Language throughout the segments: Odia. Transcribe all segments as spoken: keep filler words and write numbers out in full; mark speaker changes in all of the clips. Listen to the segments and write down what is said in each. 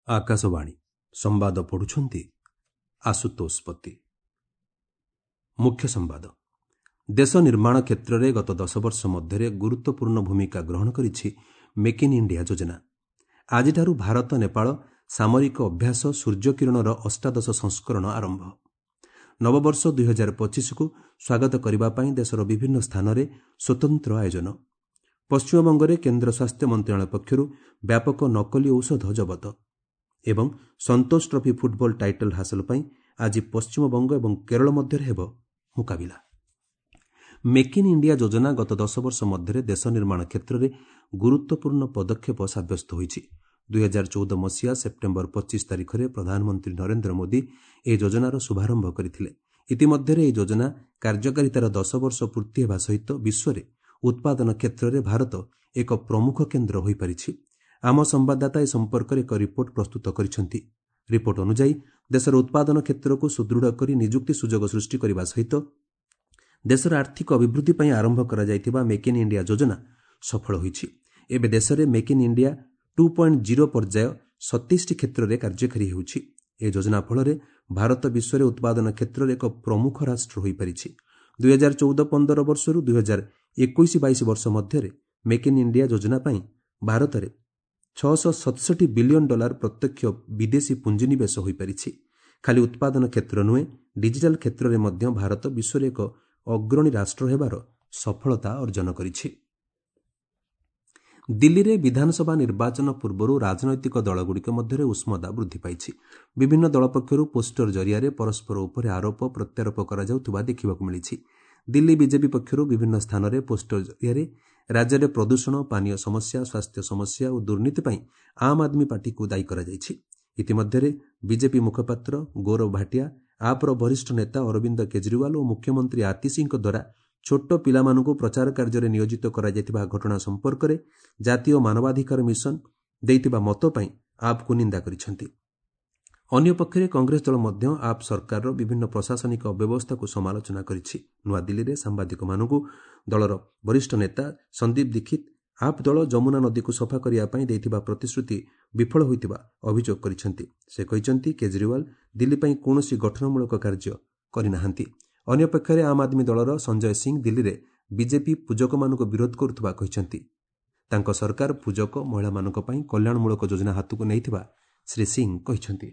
Speaker 1: ଆକାଶବାଣୀ ସମ୍ବାଦ ପଢୁଛନ୍ତି ଆଶୁତୋଷ ପତି। ମୁଖ୍ୟ ସମ୍ବାଦ। ଦେଶ ନିର୍ମାଣ କ୍ଷେତ୍ରରେ ଗତ ଦଶ ବର୍ଷ ମଧ୍ୟରେ ଗୁରୁତ୍ୱପୂର୍ଣ୍ଣ ଭୂମିକା ଗ୍ରହଣ କରିଛି ମେକ୍ ଇନ୍ ଇଣ୍ଡିଆ ଯୋଜନା। ଆଜିଠାରୁ ଭାରତ ନେପାଳ ସାମରିକ ଅଭ୍ୟାସ ସୂର୍ଯ୍ୟକିରଣର ଅଷ୍ଟାଦଶ ସଂସ୍କରଣ ଆରମ୍ଭ। ନବବର୍ଷ ଦୁଇହଜାର ପଚିଶକୁ ସ୍ୱାଗତ କରିବା ପାଇଁ ଦେଶର ବିଭିନ୍ନ ସ୍ଥାନରେ ସ୍ୱତନ୍ତ୍ର ଆୟୋଜନ। ପଶ୍ଚିମବଙ୍ଗରେ କେନ୍ଦ୍ର ସ୍ୱାସ୍ଥ୍ୟ ମନ୍ତ୍ରଣାଳୟ ପକ୍ଷରୁ ବ୍ୟାପକ ନକଲି ଔଷଧ ଜବତ। ଏବଂ ସନ୍ତୋଷ ଟ୍ରଫି ଫୁଟବଲ ଟାଇଟଲ୍ ହାସଲ ପାଇଁ ଆଜି ପଶ୍ଚିମବଙ୍ଗ ଏବଂ କେରଳ ମଧ୍ୟରେ ହେବ ମୁକାବିଲା। ମେକ୍ ଇନ୍ ଇଣ୍ଡିଆ ଯୋଜନା ଗତ ଦଶ ବର୍ଷ ମଧ୍ୟରେ ଦେଶ ନିର୍ମାଣ କ୍ଷେତ୍ରରେ ଗୁରୁତ୍ୱପୂର୍ଣ୍ଣ ପଦକ୍ଷେପ ସାବ୍ୟସ୍ତ ହୋଇଛି। ଦୁଇହଜାର ଚଉଦ ମସିହା ସେପ୍ଟେମ୍ବର ପଚିଶ ତାରିଖରେ ପ୍ରଧାନମନ୍ତ୍ରୀ ନରେନ୍ଦ୍ର ମୋଦି ଏହି ଯୋଜନାର ଶୁଭାରମ୍ଭ କରିଥିଲେ। ଇତିମଧ୍ୟରେ ଏହି ଯୋଜନା କାର୍ଯ୍ୟକାରିତାର ଦଶ ବର୍ଷ ପୂର୍ତ୍ତି ହେବା ସହିତ ବିଶ୍ୱରେ ଉତ୍ପାଦନ କ୍ଷେତ୍ରରେ ଭାରତ ଏକ ପ୍ରମୁଖ କେନ୍ଦ୍ର ହୋଇପାରିଛି। ଆମ ସମ୍ବାଦଦାତା ଏ ସମ୍ପର୍କରେ ଏକ ରିପୋର୍ଟ ପ୍ରସ୍ତୁତ କରିଛନ୍ତି। ରିପୋର୍ଟ ଅନୁଯାୟୀ ଦେଶର ଉତ୍ପାଦନ କ୍ଷେତ୍ରକୁ ସୁଦୃଢ଼ କରି ନିଯୁକ୍ତି ସୁଯୋଗ ସୃଷ୍ଟି କରିବା ସହିତ ଦେଶର ଆର୍ଥିକ ଅଭିବୃଦ୍ଧି ପାଇଁ ଆରମ୍ଭ କରାଯାଇଥିବା ମେକ୍ ଇନ୍ ଇଣ୍ଡିଆ ଯୋଜନା ସଫଳ ହୋଇଛି। ଏବେ ଦେଶରେ make in India two point zero ପର୍ଯ୍ୟାୟ ସତେଇଶଟି କ୍ଷେତ୍ରରେ କାର୍ଯ୍ୟକାରୀ ହେଉଛି। ଏହି ଯୋଜନା ଫଳରେ ଭାରତ ବିଶ୍ୱରେ ଉତ୍ପାଦନ କ୍ଷେତ୍ରରେ ଏକ ପ୍ରମୁଖ ରାଷ୍ଟ୍ର ହୋଇପାରିଛି। ଦୁଇହଜାର ଚଉଦ ପନ୍ଦର ବର୍ଷରୁ ଦୁଇହଜାର ଏକୋଇଶ ବାଇଶ ବର୍ଷ ମଧ୍ୟରେ ମେକ୍ ଇନ୍ ଇଣ୍ଡିଆ ଯୋଜନା ପାଇଁ ଭାରତରେ ଛଅଶହ ସତଷଠି ବିଲିୟନ ଡଲାର ପ୍ରତ୍ୟକ୍ଷ ବିଦେଶୀ ପୁଞ୍ଜିନିବେଶ ହୋଇପାରିଛି। ଖାଲି ଉତ୍ପାଦନ କ୍ଷେତ୍ର ନୁହେଁ, ଡିଜିଟାଲ କ୍ଷେତ୍ରରେ ମଧ୍ୟ ଭାରତ ବିଶ୍ୱରେ ଏକ ଅଗ୍ରଣୀ ରାଷ୍ଟ୍ର ହେବାର ସଫଳତା ଅର୍ଜନ କରିଛି। ଦିଲ୍ଲୀରେ ବିଧାନସଭା ନିର୍ବାଚନ ପୂର୍ବରୁ ରାଜନୈତିକ ଦଳଗୁଡ଼ିକ ମଧ୍ୟରେ ଉଷ୍ମତା ବୃଦ୍ଧି ପାଇଛି। ବିଭିନ୍ନ ଦଳ ପକ୍ଷରୁ ପୋଷ୍ଟର ଜରିଆରେ ପରସ୍ପର ଉପରେ ଆରୋପ ପ୍ରତ୍ୟାରୋପ କରାଯାଉଥିବା ଦେଖିବାକୁ ମିଳିଛି। ଦିଲ୍ଲୀ ବିଜେପି ପକ୍ଷରୁ ବିଭିନ୍ନ ସ୍ଥାନରେ ପୋଷ୍ଟର ଜରିଆରେ ରାଜ୍ୟରେ ପ୍ରଦୂଷଣ, ପାନୀୟ ସମସ୍ୟା, ସ୍ୱାସ୍ଥ୍ୟ ସମସ୍ୟା ଓ ଦୁର୍ନୀତି ପାଇଁ ଆମ୍ ଆଦମୀ ପାର୍ଟିକୁ ଦାୟୀ କରାଯାଇଛି। ଇତିମଧ୍ୟରେ ବିଜେପି ମୁଖପାତ୍ର ଗୌରବ ଭାଟିଆ ଆପ୍ର ବରିଷ୍ଠ ନେତା ଅରବିନ୍ଦ କେଜରିୱାଲ ଓ ମୁଖ୍ୟମନ୍ତ୍ରୀ ଆତିଶୀଙ୍କ ଦ୍ୱାରା ଛୋଟ ପିଲାମାନଙ୍କୁ ପ୍ରଚାର କାର୍ଯ୍ୟରେ ନିୟୋଜିତ କରାଯାଇଥିବା ଘଟଣା ସମ୍ପର୍କରେ ଜାତୀୟ ମାନବାଧିକାର ମିଶନ ଦେଇଥିବା ମତ ପାଇଁ ଆପ୍କୁ ନିନ୍ଦା କରିଛନ୍ତି। ଅନ୍ୟପକ୍ଷରେ କଂଗ୍ରେସ ଦଳ ମଧ୍ୟ ଆପ୍ ସରକାରର ବିଭିନ୍ନ ପ୍ରଶାସନିକ ଅବ୍ୟବସ୍ଥାକୁ ସମାଲୋଚନା କରିଛି। ନୂଆଦିଲ୍ଲୀରେ ସାମ୍ବାଦିକମାନଙ୍କୁ ଦଳର ବରିଷ୍ଠ ନେତା ସନ୍ଦୀପ ଦୀକ୍ଷିତ ଆପ୍ ଦଳ ଯମୁନା ନଦୀକୁ ସଫା କରିବା ପାଇଁ ଦେଇଥିବା ପ୍ରତିଶ୍ରୁତି ବିଫଳ ହୋଇଥିବା ଅଭିଯୋଗ କରିଛନ୍ତି। ସେ କହିଛନ୍ତି, କେଜରିୱାଲ ଦିଲ୍ଲୀ ପାଇଁ କୌଣସି ଗଠନମୂଳକ କାର୍ଯ୍ୟ କରିନାହାନ୍ତି। ଅନ୍ୟପକ୍ଷରେ ଆମ୍ ଆଦମୀ ଦଳର ସଞ୍ଜୟ ସିଂ ଦିଲ୍ଲୀରେ ବିଜେପି ପୂଜକମାନଙ୍କୁ ବିରୋଧ କରୁଥିବା କହିଛନ୍ତି। ତାଙ୍କ ସରକାର ପୂଜକ ମହିଳାମାନଙ୍କ ପାଇଁ କଲ୍ୟାଣମୂଳକ ଯୋଜନା ହାତକୁ ନେଇଥିବା ଶ୍ରୀ ସିଂ କହିଛନ୍ତି।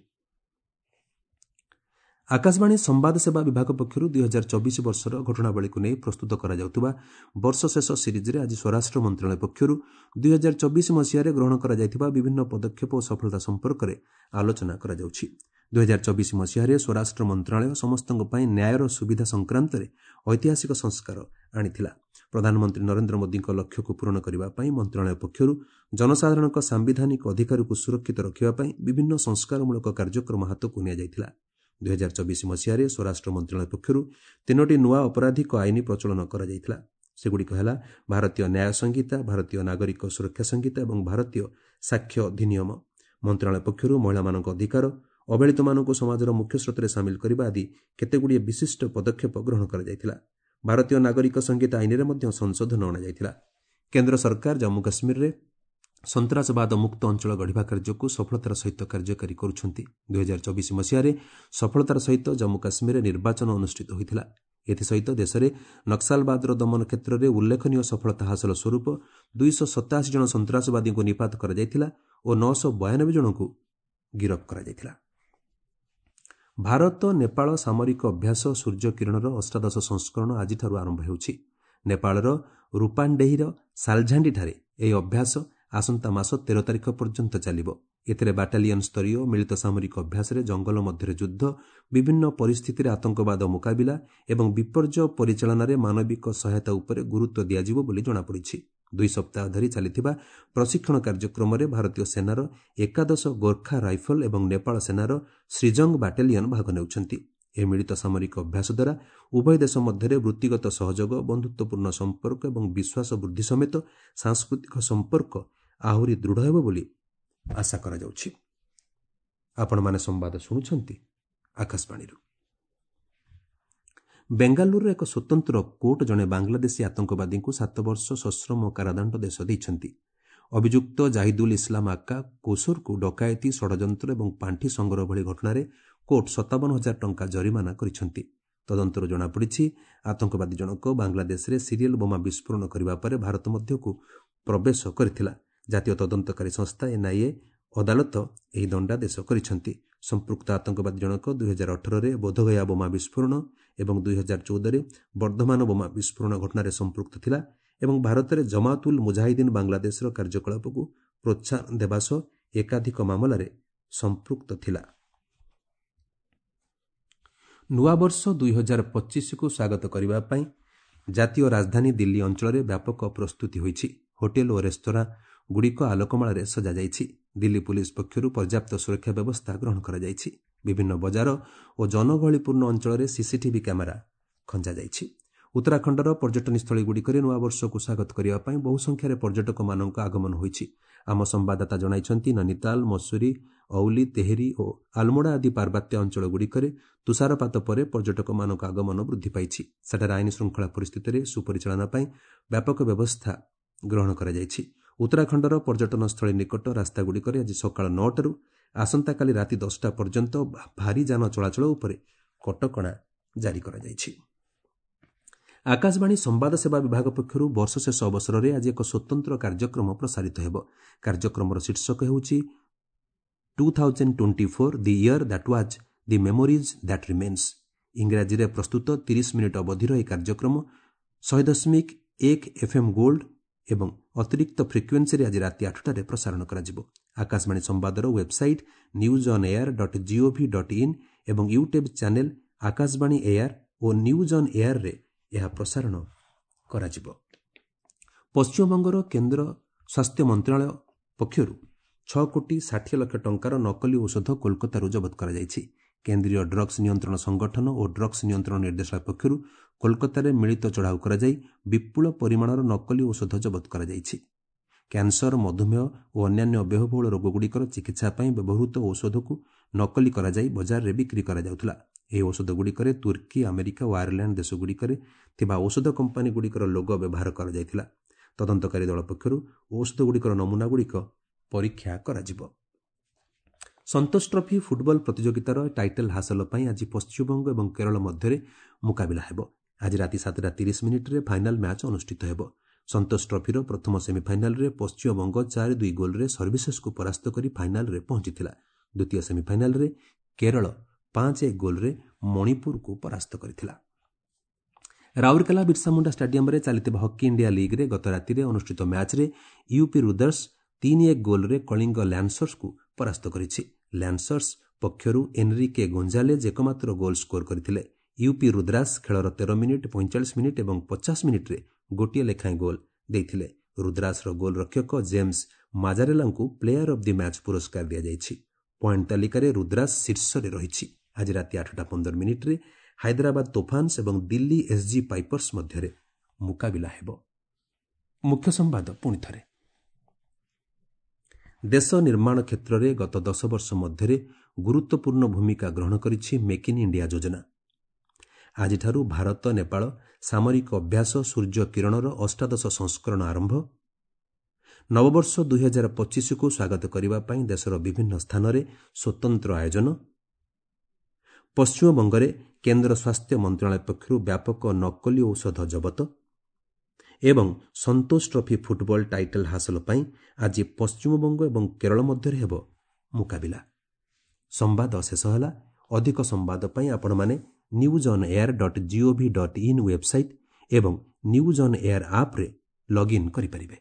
Speaker 1: ଆକାଶବାଣୀ ସମ୍ବାଦ ସେବା ବିଭାଗ ପକ୍ଷରୁ ଦୁଇହଜାର ଚବିଶ ବର୍ଷର ଘଟଣାବଳୀକୁ ନେଇ ପ୍ରସ୍ତୁତ କରାଯାଉଥିବା ବର୍ଷ ଶେଷ ସିରିଜ୍ରେ ଆଜି ସ୍ୱରାଷ୍ଟ୍ର ମନ୍ତ୍ରଣାଳୟ ପକ୍ଷରୁ ଦୁଇହଜାର ଚବିଶ ମସିହାରେ ଗ୍ରହଣ କରାଯାଇଥିବା ବିଭିନ୍ନ ପଦକ୍ଷେପ ଓ ସଫଳତା ସମ୍ପର୍କରେ ଆଲୋଚନା କରାଯାଉଛି। ଦୁଇହଜାର ଚବିଶ ମସିହାରେ ସ୍ୱରାଷ୍ଟ୍ର ମନ୍ତ୍ରଣାଳୟ ସମସ୍ତଙ୍କ ପାଇଁ ନ୍ୟାୟର ସୁବିଧା ସଂକ୍ରାନ୍ତରେ ଐତିହାସିକ ସଂସ୍କାର ଆଣିଥିଲା। ପ୍ରଧାନମନ୍ତ୍ରୀ ନରେନ୍ଦ୍ର ମୋଦିଙ୍କ ଲକ୍ଷ୍ୟକୁ ପୂରଣ କରିବା ପାଇଁ ମନ୍ତ୍ରଣାଳୟ ପକ୍ଷରୁ ଜନସାଧାରଣଙ୍କ ସାମ୍ବିଧାନିକ ଅଧିକାରକୁ ସୁରକ୍ଷିତ ରଖିବା ପାଇଁ ବିଭିନ୍ନ ସଂସ୍କାରମୂଳକ କାର୍ଯ୍ୟକ୍ରମ ହାତକୁ ନିଆଯାଇଥିଲା। ଦୁଇହଜାର ଚବିଶ ମସିହାରେ ସ୍ୱରାଷ୍ଟ୍ର ମନ୍ତ୍ରଣାଳୟ ପକ୍ଷରୁ ତିନୋଟି ନୂଆ ଅପରାଧିକ ଆଇନ ପ୍ରଚଳନ କରାଯାଇଥିଲା। ସେଗୁଡ଼ିକ ହେଲା ଭାରତୀୟ ନ୍ୟାୟ ସଂହିତା, ଭାରତୀୟ ନାଗରିକ ସୁରକ୍ଷା ସଂହିତା ଏବଂ ଭାରତୀୟ ସାକ୍ଷ୍ୟ ଅଧିନିୟମ। ମନ୍ତ୍ରଣାଳୟ ପକ୍ଷରୁ ମହିଳାମାନଙ୍କ ଅଧିକାର, ଅବହେଳିତମାନଙ୍କୁ ସମାଜର ମୁଖ୍ୟ ସ୍ରୋତରେ ସାମିଲ କରିବା ଆଦି କେତେଗୁଡ଼ିଏ ବିଶିଷ୍ଟ ପଦକ୍ଷେପ ଗ୍ରହଣ କରାଯାଇଥିଲା। ଭାରତୀୟ ନାଗରିକ ସଂହିତା ଆଇନରେ ମଧ୍ୟ ସଂଶୋଧନ ଅଣାଯାଇଥିଲା। କେନ୍ଦ୍ର ସରକାର ଜମ୍ମୁ କାଶ୍ମୀରରେ ସନ୍ତାସବାଦ ମୁକ୍ତ ଅଞ୍ଚଳ ଗଢ଼ିବା କାର୍ଯ୍ୟକୁ ସଫଳତାର ସହିତ କାର୍ଯ୍ୟକାରୀ କରୁଛନ୍ତି। ଦୁଇହଜାର ଚବିଶ ମସିହାରେ ସଫଳତାର ସହିତ ଜମ୍ମୁ କାଶ୍ମୀରରେ ନିର୍ବାଚନ ଅନୁଷ୍ଠିତ ହୋଇଥିଲା। ଏଥିସହିତ ଦେଶରେ ନକ୍ସଲବାଦର ଦମନ କ୍ଷେତ୍ରରେ ଉଲ୍ଲେଖନୀୟ ସଫଳତା ହାସଲ ସ୍ୱରୂପ ଦୁଇଶହ ସତାଅଶୀ ଜଣ ସନ୍ତାସବାଦୀଙ୍କୁ ନିପାତ କରାଯାଇଥିଲା ଓ ନଅଶହ ବୟାନବେ ଜଣଙ୍କୁ ଗିରଫ କରାଯାଇଥିଲା। ଭାରତ ନେପାଳ ସାମରିକ ଅଭ୍ୟାସ ସୂର୍ଯ୍ୟକିରଣର ଅଷ୍ଟାଦଶ ସଂସ୍କରଣ ଆଜିଠାରୁ ଆରମ୍ଭ ହେଉଛି। ନେପାଳର ରୂପାଣ୍ଡେହିର ସାଲଝାଣ୍ଡିଠାରେ ଏହି ଅଭ୍ୟାସ ଆସନ୍ତା ମାସ ତେର ତାରିଖ ପର୍ଯ୍ୟନ୍ତ ଚାଲିବ। ଏଥିରେ ବାଟାଲିୟନ ସ୍ତରୀୟ ମିଳିତ ସାମରିକ ଅଭ୍ୟାସରେ ଜଙ୍ଗଲ ମଧ୍ୟରେ ଯୁଦ୍ଧ, ବିଭିନ୍ନ ପରିସ୍ଥିତିରେ ଆତଙ୍କବାଦ ମୁକାବିଲା ଏବଂ ବିପର୍ଯ୍ୟୟ ପରିଚାଳନାରେ ମାନବିକ ସହାୟତା ଉପରେ ଗୁରୁତ୍ୱ ଦିଆଯିବ ବୋଲି ଜଣାପଡ଼ିଛି। ଦୁଇ ସପ୍ତାହ ଧରି ଚାଲିଥିବା ପ୍ରଶିକ୍ଷଣ କାର୍ଯ୍ୟକ୍ରମରେ ଭାରତୀୟ ସେନାର ଏକାଦଶ ଗୋର୍ଖା ରାଇଫଲ ଏବଂ ନେପାଳ ସେନାର ଶ୍ରୀଜଙ୍ଗ ବାଟାଲିୟନ ଭାଗ ନେଉଛନ୍ତି। ଏହି ମିଳିତ ସାମରିକ ଅଭ୍ୟାସ ଦ୍ୱାରା ଉଭୟ ଦେଶ ମଧ୍ୟରେ ବୃତ୍ତିଗତ ସହଯୋଗ, ବନ୍ଧୁତ୍ୱପୂର୍ଣ୍ଣ ସମ୍ପର୍କ ଏବଂ ବିଶ୍ୱାସ ବୃଦ୍ଧି ସମେତ ସାଂସ୍କୃତିକ ସମ୍ପର୍କ ଆହୁରି ଦୃଢ଼ ହେବ ବୋଲି ଆଶା କରାଯାଉଛି। ଆପଣମାନେ ସମ୍ବାଦ ଶୁଣୁଛନ୍ତି ଆକାଶବାଣୀରୁ। ବେଙ୍ଗାଲୁରୁର ଏକ ସ୍ୱତନ୍ତ୍ର କୋର୍ଟ ଜଣେ ବାଂଲାଦେଶୀ ଆତଙ୍କବାଦୀଙ୍କୁ ସାତ ବର୍ଷ ସଶ୍ରମ କାରାଦଣ୍ଡ ଦେଶ ଦେଇଛନ୍ତି। ଅଭିଯୁକ୍ତ ଜାହିଦୁଲ ଇସଲାମ ଆକ୍କା କୋସରକୁ ଡକାୟତି, ଷଡ଼ଯନ୍ତ୍ର ଏବଂ ପାଣ୍ଠି ସଂଗ୍ରହ ଭଳି ଘଟଣାରେ କୋର୍ଟ ସତାବନ ହଜାର ଟଙ୍କା ଜରିମାନା କରିଛନ୍ତି। ତଦନ୍ତରୁ ଜଣାପଡ଼ିଛି, ଆତଙ୍କବାଦୀ ଜଣକ ବାଂଲାଦେଶରେ ସିରିଏଲ ବୋମା ବିସ୍ଫୋରଣ କରିବା ପରେ ଭାରତ ମଧ୍ୟକୁ ପ୍ରବେଶ କରିଥିଲା। ଜାତୀୟ ତଦନ୍ତକାରୀ ସଂସ୍ଥା ଏନ୍ଆଇଏ ଅଦାଲତ ଏହି ଦଣ୍ଡାଦେଶ କରିଛନ୍ତି। ସମ୍ପୃକ୍ତ ଆତଙ୍କବାଦୀ ଜଣକ ଦୁଇହଜାର ଅଠରରେ ବୋଧଗୟା ବୋମା ବିସ୍ଫୋରଣ ଏବଂ ଦୁଇହଜାର ଚଉଦରେ ବର୍ଦ୍ଧମାନ ବୋମା ବିସ୍ଫୋରଣ ଘଟଣାରେ ସମ୍ପୃକ୍ତ ଥିଲା ଏବଂ ଭାରତରେ ଜମାତୁଲ ମୁଜାହିଦ୍ଦିନ ବାଂଲାଦେଶର କାର୍ଯ୍ୟକଳାପକୁ ପ୍ରୋତ୍ସାହନ ଦେବା ସହ ଏକାଧିକ ମାମଲାରେ ସମ୍ପୃକ୍ତ ଥିଲା। ନୂଆବର୍ଷ ଦୁଇହଜାର ପଚିଶକୁ ସ୍ୱାଗତ କରିବା ପାଇଁ ଜାତୀୟ ରାଜଧାନୀ ଦିଲ୍ଲୀ ଅଞ୍ଚଳରେ ବ୍ୟାପକ ପ୍ରସ୍ତୁତି ହୋଇଛି। ହୋଟେଲ ଓ ରେସ୍ତୋରାଁ ଗୁଡ଼ିକ ଆଲୋକମାଳାରେ ସଜାଯାଇଛି। ଦିଲ୍ଲୀ ପୁଲିସ୍ ପକ୍ଷରୁ ପର୍ଯ୍ୟାପ୍ତ ସୁରକ୍ଷା ବ୍ୟବସ୍ଥା ଗ୍ରହଣ କରାଯାଇଛି। ବିଭିନ୍ନ ବଜାର ଓ ଜନଗହଳିପୂର୍ଣ୍ଣ ଅଞ୍ଚଳରେ ସିସିଟିଭି କ୍ୟାମେରା ଖଞ୍ଜାଯାଇଛି। ଉତ୍ତରାଖଣ୍ଡର ପର୍ଯ୍ୟଟନସ୍ଥଳୀଗୁଡ଼ିକରେ ନୂଆବର୍ଷକୁ ସ୍ୱାଗତ କରିବା ପାଇଁ ବହୁ ସଂଖ୍ୟାରେ ପର୍ଯ୍ୟଟକମାନଙ୍କ ଆଗମନ ହୋଇଛି। ଆମ ସମ୍ବାଦଦାତା ଜଣାଇଛନ୍ତି, ନୈନିତାଲ, ମସୁରୀ, ଔଲି, ତେହେରି ଓ ଆଲମୋଡ଼ା ଆଦି ପାର୍ବତ୍ୟ ଅଞ୍ଚଳଗୁଡ଼ିକରେ ତୁଷାରପାତ ପରେ ପର୍ଯ୍ୟଟକମାନଙ୍କ ଆଗମନ ବୃଦ୍ଧି ପାଇଛି। ସେଠାରେ ଆଇନ ଶୃଙ୍ଖଳା ପରିସ୍ଥିତିରେ ସୁପରିଚାଳନା ପାଇଁ ବ୍ୟାପକ ବ୍ୟବସ୍ଥା ଗ୍ରହଣ କରାଯାଇଛି। ଉତ୍ତରାଖଣ୍ଡର ପର୍ଯ୍ୟଟନସ୍ଥଳୀ ନିକଟ ରାସ୍ତାଗୁଡ଼ିକରେ ଆଜି ସକାଳ ନଅଟାରୁ ଆସନ୍ତାକାଲି ରାତି ଦଶଟା ପର୍ଯ୍ୟନ୍ତ ଭାରୀ ଯାନ ଚଳାଚଳ ଉପରେ କଟକଣା ଜାରି କରାଯାଇଛି। ଆକାଶବାଣୀ ସମ୍ବାଦ ସେବା ବିଭାଗ ପକ୍ଷରୁ ବର୍ଷ ଶେଷ ଅବସରରେ ଆଜି ଏକ ସ୍ୱତନ୍ତ୍ର କାର୍ଯ୍ୟକ୍ରମ ପ୍ରସାରିତ ହେବ। କାର୍ଯ୍ୟକ୍ରମର ଶୀର୍ଷକ ହେଉଛି two thousand twenty four the year that was the memories that remains. ଇଂରାଜୀରେ ପ୍ରସ୍ତୁତ ତିରିଶ ମିନିଟ୍ ଅବଧିର ଏହି କାର୍ଯ୍ୟକ୍ରମ ଶହେ ଦଶମିକ ଏକ ଏଫ୍ଏମ୍ ଗୋଲ୍ଡ ଏବଂ ଅତିରିକ୍ତ ଫ୍ରିକ୍ୱେନ୍ସିରେ ଆଜି ରାତି ଆଠଟାରେ ପ୍ରସାରଣ କରାଯିବ। ଆକାଶବାଣୀ ସମ୍ବାଦର website news on air dot gov dot in ଏବଂ ୟୁଟ୍ୟୁବ୍ ଚ୍ୟାନେଲ୍ ଆକାଶବାଣୀ ଏୟାର ଓ ନ୍ୟୁଜ୍ ଅନ୍ ଏୟାରରେ ଏହା ପ୍ରସାରଣ କରାଯିବ। ପଶ୍ଚିମବଙ୍ଗର କେନ୍ଦ୍ର ସ୍ୱାସ୍ଥ୍ୟ ମନ୍ତ୍ରଣାଳୟ ପକ୍ଷରୁ ଛଅ କୋଟି ଷାଠିଏ ଲକ୍ଷ ଟଙ୍କାର ନକଲି ଔଷଧ କୋଲକାତାରୁ ଜବତ କରାଯାଇଛି। କେନ୍ଦ୍ରୀୟ ଡ୍ରଗ୍ସ ନିୟନ୍ତ୍ରଣ ସଂଗଠନ ଓ ଡ୍ରଗ୍ସ ନିୟନ୍ତ୍ରଣ ନିର୍ଦ୍ଦେଶାଳୟ ପକ୍ଷରୁ କୋଲକାତାରେ ମିଳିତ ଚଢ଼ାଉ କରାଯାଇ ବିପୁଳ ପରିମାଣର ନକଲି ଔଷଧ ଜବତ କରାଯାଇଛି। କ୍ୟାନ୍ସର, ମଧୁମେହ ଓ ଅନ୍ୟାନ୍ୟ ବ୍ୟୟବହୁଳ ରୋଗଗୁଡ଼ିକର ଚିକିତ୍ସା ପାଇଁ ବ୍ୟବହୃତ ଔଷଧକୁ ନକଲି କରାଯାଇ ବଜାରରେ ବିକ୍ରି କରାଯାଉଥିଲା। ଏହି ଔଷଧଗୁଡ଼ିକରେ ତୁର୍କୀ, ଆମେରିକା ଓ ଆୟାରଲ୍ୟାଣ୍ଡ ଦେଶଗୁଡ଼ିକରେ ଥିବା ଔଷଧ କମ୍ପାନୀଗୁଡ଼ିକର ଲୋଗୋ ବ୍ୟବହାର କରାଯାଇଥିଲା। ତଦନ୍ତକାରୀ ଦଳ ପକ୍ଷରୁ ଔଷଧଗୁଡ଼ିକର ନମୁନାଗୁଡ଼ିକ ପରୀକ୍ଷା କରାଯିବ। ସନ୍ତୋଷ ଟ୍ରଫି ଫୁଟବଲ ପ୍ରତିଯୋଗିତାର ଟାଇଟଲ୍ ହାସଲ ପାଇଁ ଆଜି ପଶ୍ଚିମବଙ୍ଗ ଏବଂ କେରଳ ମଧ୍ୟରେ ମୁକାବିଲା ହେବ। ଆଜି ରାତି ସାତଟା ତିରିଶ ମିନିଟ୍ରେ ଫାଇନାଲ ମ୍ୟାଚ୍ ଅନୁଷ୍ଠିତ ହେବ। ସନ୍ତୋଷ ଟ୍ରଫିର ପ୍ରଥମ ସେମିଫାଇନାଲରେ ପଶ୍ଚିମବଙ୍ଗ ଚାରି ଦୁଇ ଗୋଲ୍ରେ ସର୍ଭିସେସକୁ ପରାସ୍ତ କରି ଫାଇନାଲରେ ପହଞ୍ଚିଥିଲା। ଦ୍ୱିତୀୟ ସେମିଫାଇନାଲରେ କେରଳ ପାଞ୍ଚ ଏକ ଗୋଲ୍ରେ ମଣିପୁରକୁ ପରାସ୍ତ କରିଥିଲା। ରାଉରକେଲା ବିର୍ସାମୁଣ୍ଡା ଷ୍ଟାଡିୟମରେ ଚାଲିଥିବା ହକି ଇଣ୍ଡିଆ ଲିଗ୍ରେ ଗତ ରାତିରେ ଅନୁଷ୍ଠିତ ମ୍ୟାଚ୍ରେ ୟୁପି ରୁଦର୍ସ ତିନି ଏକ ଗୋଲ୍ରେ କଳିଙ୍ଗ ଲ୍ୟାନ୍ସର୍ସକୁ ପରାସ୍ତ କରିଛି। ଲ୍ୟାନ୍ସର୍ସ ପକ୍ଷରୁ ଏନ୍ରିକେ ଗୋଞ୍ଜାଲେଜ୍ ଏକମାତ୍ର ଗୋଲ୍ ସ୍କୋର କରିଥିଲେ। ୟୁପି ରୁଦ୍ରାସ ଖେଳର ତେର ମିନିଟ୍, ପଇଁଚାଳିଶ ମିନିଟ୍ ଏବଂ ପଚାଶ ମିନିଟ୍ରେ ଗୋଟିଏ ଲେଖାଏଁ ଗୋଲ୍ ଦେଇଥିଲେ। ରୁଦ୍ରାସର ଗୋଲ୍ ରକ୍ଷକ ଜେମ୍ସ ମାଜାରେଲାଙ୍କୁ ପ୍ଲେୟାର ଅଫ୍ the match ପୁରସ୍କାର ଦିଆଯାଇଛି। ପଏଣ୍ଟ ତାଲିକାରେ ରୁଦ୍ରାସ ଶୀର୍ଷରେ ରହିଛି। ଆଜି ରାତି ଆଠଟା ପନ୍ଦର ମିନିଟ୍ରେ ହାଇଦ୍ରାବାଦ ତୋଫାନ୍ସ ଏବଂ ଦିଲ୍ଲୀ ଏସ୍ଜି ପାଇପର୍ସ ମଧ୍ୟରେ ମୁକାବିଲା ହେବ। ମୁଖ୍ୟ ସମ୍ବାଦ ପୁଣି ଥରେ। ଦେଶ ନିର୍ମାଣ କ୍ଷେତ୍ରରେ ଗତ ଦଶ ବର୍ଷ ମଧ୍ୟରେ ଗୁରୁତ୍ୱପୂର୍ଣ୍ଣ ଭୂମିକା ଗ୍ରହଣ କରିଛି ମେକ୍ ଇନ୍ ଇଣ୍ଡିଆ ଯୋଜନା। ଆଜିଠାରୁ ଭାରତ ନେପାଳ ସାମରିକ ଅଭ୍ୟାସ ସୂର୍ଯ୍ୟ କିରଣର ଅଷ୍ଟାଦଶ ସଂସ୍କରଣ ଆରମ୍ଭ। ନବବର୍ଷ ଦୁଇହଜାର ପଚିଶକୁ ସ୍ୱାଗତ କରିବା ପାଇଁ ଦେଶର ବିଭିନ୍ନ ସ୍ଥାନରେ ସ୍ୱତନ୍ତ୍ର ଆୟୋଜନ। ପଶ୍ଚିମବଙ୍ଗରେ କେନ୍ଦ୍ର ସ୍ୱାସ୍ଥ୍ୟ ମନ୍ତ୍ରଣାଳୟ ପକ୍ଷରୁ ବ୍ୟାପକ ନକଲି ଔଷଧ ଜବତ ଏବଂ ସନ୍ତୋଷ ଟ୍ରଫି ଫୁଟବଲ ଟାଇଟଲ୍ ହାସଲ ପାଇଁ ଆଜି ପଶ୍ଚିମବଙ୍ଗ ଏବଂ କେରଳ ମଧ୍ୟରେ ହେବ ମୁକାବିଲା। ସମ୍ବାଦ ଶେଷ ହେଲା। ଅଧିକ ସମ୍ବାଦ ପାଇଁ ଆପଣମାନେ news on air dot gov dot in website ଏବଂ ନ୍ୟୁଜ୍ ଅନ୍ ଏୟାର ଆପ୍ରେ ଲଗ୍ଇନ୍ କରିପାରିବେ।